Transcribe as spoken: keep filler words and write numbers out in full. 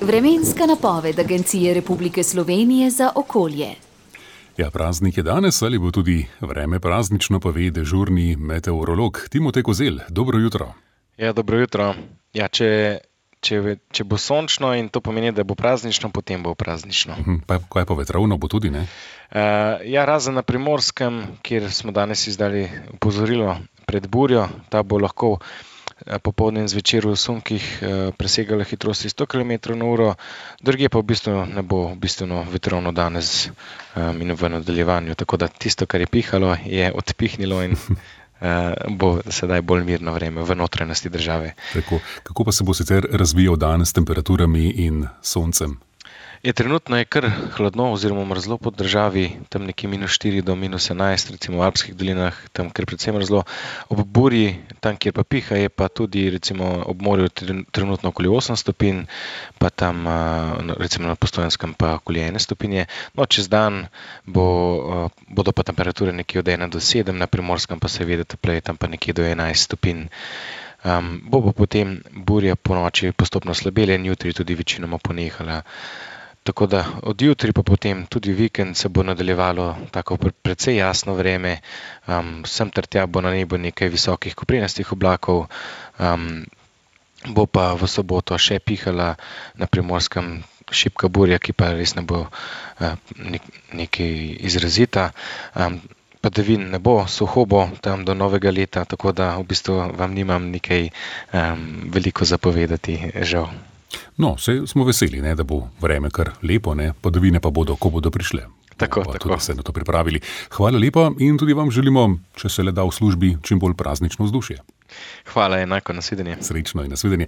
Vremenska napoved Agencije Republike Slovenije za okolje. Ja, praznik je danes, ali bo tudi vreme praznično, pove dežurni meteorolog Timotej Kozelj. Dobro jutro. Ja, dobro jutro. Ja, če, če, če bo sončno in to pomeni, da bo praznično, potem bo praznično. Pa kaj pa vetrovno bo tudi, ne? Uh, ja, razen na Primorskem, kjer smo danes izdali opozorilo pred burjo, ta bo lahko popoldne in zvečer v sunkih presegala hitrosti sto kilometrov na uro, drugje pa v bistvu ne bo bistveno vetrovno danes in v nadaljevanju. Tako da tisto, kar je pihalo, je odpihnilo in bo sedaj bolj mirno vreme v notranjosti države. Tako, kako pa se bo sicer razvijal dan s temperaturami in soncem? Je, trenutno je kar hladno oziroma mrzlo po državi, tam nekje minus štiri do minus enajst, recimo v Alpskih dolinah, tam kar predvsem mrzlo. Ob burji, tam kjer pa piha, je pa tudi recimo ob morju trenutno okoli osem stopinj, pa tam recimo na Postojnskem pa okoli ene stopinje. No, čez dan bo, bodo pa temperature nekje od ena do sedem, na Primorskem pa seveda topleje, tam pa nekje do enajst stopinj. Um, bo pa potem burja po noči postopno slabela in jutri tudi večinoma ponehala. Tako da od jutri pa potem tudi vikend se bo nadaljevalo tako precej jasno vreme, um, sem ter tja bo na nebu nekaj visokih koprenastih oblakov, um, bo pa v soboto še pihala na Primorskem šibka burja, ki pa res ne bo uh, nek, nekaj izrazita. Um, Padavin ne bo, suho bo tam do novega leta, tako da v bistvu vam nimam nekaj um, veliko zapovedati, žal. No, saj smo veseli, ne, da bo vreme kar lepo, ne, padavine pa bodo, ko bodo prišle. Tako, pa tako. Tudi se na to pripravili. Hvala lepa in tudi vam želimo, če se le da v službi, čim bolj praznično vzdušje. Hvala, enako, nasvidenje. Srečno in nasvidenje.